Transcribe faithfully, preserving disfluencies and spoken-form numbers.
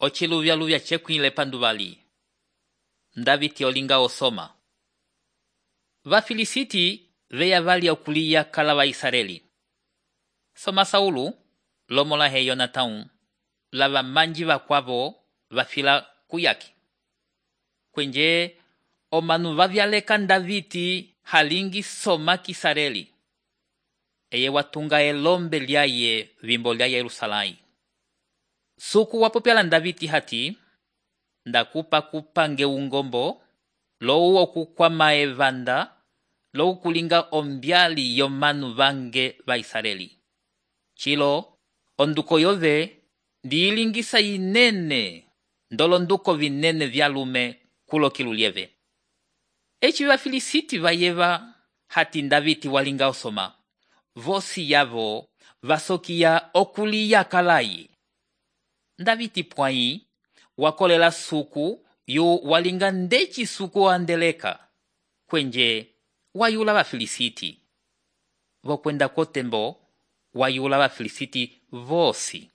ociluvyaluvya cekwile panduvali. Ndaviti olinga osoma. Vafilisiti veya valya okuliya kala va Israeli. Soma Saulu lomola he Yonatão lava manji vakwavo vafila kuyaki. Kwenje omanu vavyaleka Ndaviti halingi soma kisareli. Eye watunga elombe lyaye vimbo lya Yerusalai. Suku wapopyala Ndaviti hati, ndakupa kupange ungombo, lowu okukwama evanda, lowu kulinga ombyali yomanu vange va Israeli. Chilo, onduko yove, ndiilingisa inene, ndolo nduko vinene vyalume kulo kilulieve. Echi vafilisiti vayeva hati Ndaviti walinga osoma. Vosi yavo vasokia okuliya kalayi. Ndaviti pwai wakolela suku yu walinga ndechi suku andeleka. Kwenje wayula vafilisiti. Vokwenda kotembo wayula vafilisiti vosi.